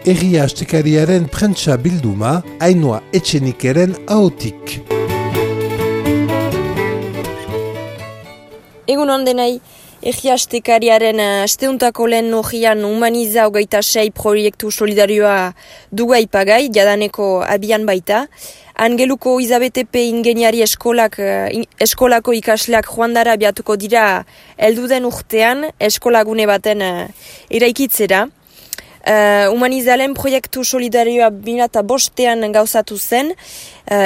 Egia astekariaren prentsa bilduma, Ainhoa Etxenikeren ahotik. Egun ondenai, Egia astekariaren asteuntako lehen nogian Humaniza 26 proiektu solidarioa duga ipagai, jadaneko abian baita. Angeluko Izabetepe ingeniari eskolako ikasleak joandara abiatuko dira helduden urtean eskolagune baten eraikitzera. Humanizalen proiektu solidarioa 2005 gauzatu zen,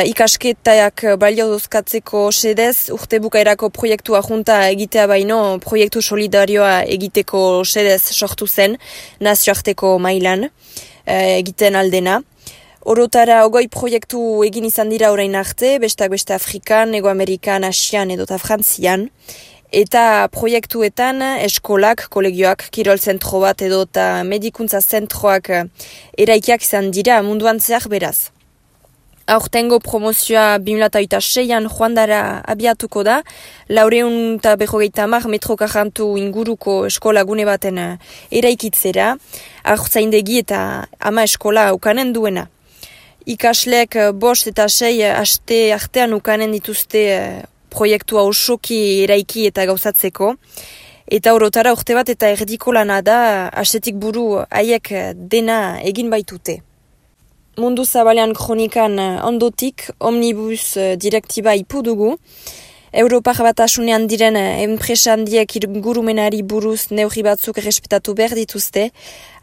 ikasketak balio dozkatzeko sedez urte bukaerako proiektua junta egitea baino proiektu solidarioa egiteko sedez sortu zen nazioarteko mailan egiten aldena. Orotara 20 proiektu egin izan dira orain arte, besteak beste Afrikan, Ego Amerikan, Asian edota Frantzian. Eta proiektuetan eskolak, kolegioak, kirol zentro bat edota medikuntza zentroak eraikiak izan dira munduan zehar beraz. Aurtengo promozioa 2006an joandara abiatuko da, 450 metro karrantu inguruko eskolagune baten eraikitzera, haurtzaindegi eta 10 eskola ukanen duena. Ikasleek 5 eta 6 aste artean ukanen dituzte proiektua osoki eraiki eta gauzatzeko. Eta orotara urte bat eta erdiko lana da, astetik buru haiek dena egin baitute. Mundu zabalean kronikan ondotik, omnibus direktiba ipu dugu. Europar batasunean diren enpresa handiek ingurumenari buruz neurri batzuk errespetatu behar dituzte.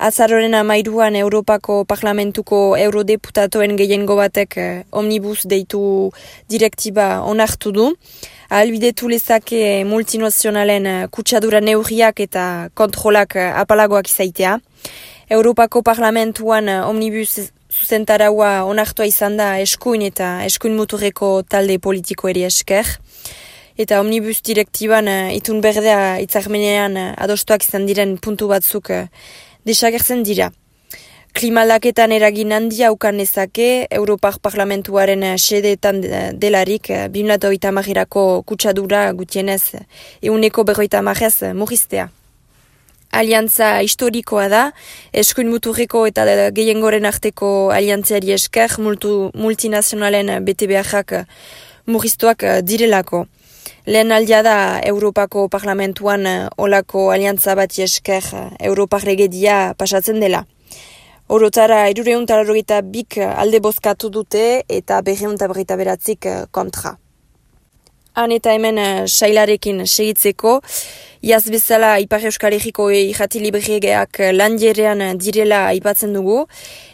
Azaroren 13an Europako Parlamentuko eurodeputatoen gehiengo batek omnibus deitu direktiba onartu du. Ahalbidetu lezake multinazionalen kutsadura neurriak eta kontrolak apalagoak izaitea. Europako Parlamentuan omnibus zuzentaraua onartua izan da eskuin eta eskuin muturreko talde politikoeri esker. Eta omnibus direktiban itun berdea hitzarmenean adostuak izan diren puntu batzuk desagertzen dira. Klimaldaketan eragin handia ukan nezake Europar Parlamentuaren sedeetan delarik 2030erako kutsadura gutienez 150% murriztea. Aliantza historikoa da, eskuin muturreko eta gehiengoren arteko aliantziari esker multinazionalen bete beharrak murriztuak direlako. Lehen aldia da Europako Parlamentuan olako aliantza bati esker Europar legedia pasatzen dela. Orotara 382 alde bozkatu dute eta 249 kontra. Han eta hemen sailarekin segitzeko, iaz bezala Ipar Euskal Herriko irrati libregeak landierean direla aipatzen dugu,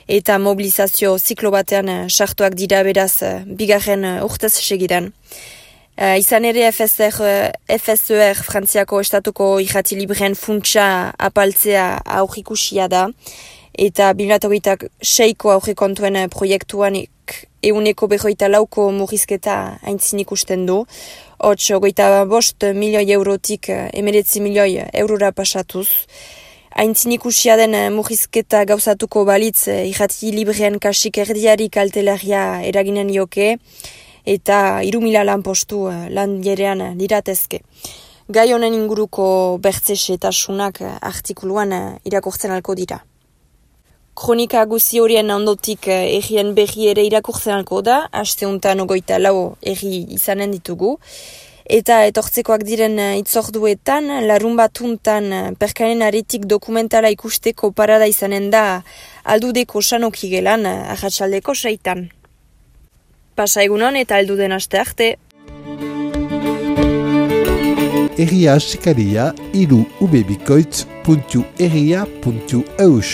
eta mobilizazio ziklo batean sartuak dira beraz bigarren urtez segidan. Izan ere FSER Frantziako estatuko irrati libreen funtsa apaltzea aurrikusia da, eta 2026ko aurrekontuen proiektuan 154 murrizketa aintzin ikusten du, 25 milioi eurotik 19 milioi eurora pasatuz. Aintzin ikusia den murrizketa gauzatuko balitz irrati libreen kasik erdiari kaltelaria eraginen ioke, eta 3.000 lanpostu landierean diratezke. Gai honen inguruko bertzesetasunak artikuluan irakurtzen alko dira. Kronika guzi horien ondotik errien berri ere irakurtzen alko da, asteuntan 24 erri izanen ditugu. Eta etortzekoak diren itzorduetan, larun batuntan perkanen aretik dokumentala ikusteko parada izanen da aldudeko sanoki gelan arratsaldeko 6. Pasa egunon eta alduden aste arte. Egia astekaria, ubebikoitz.egia.eus.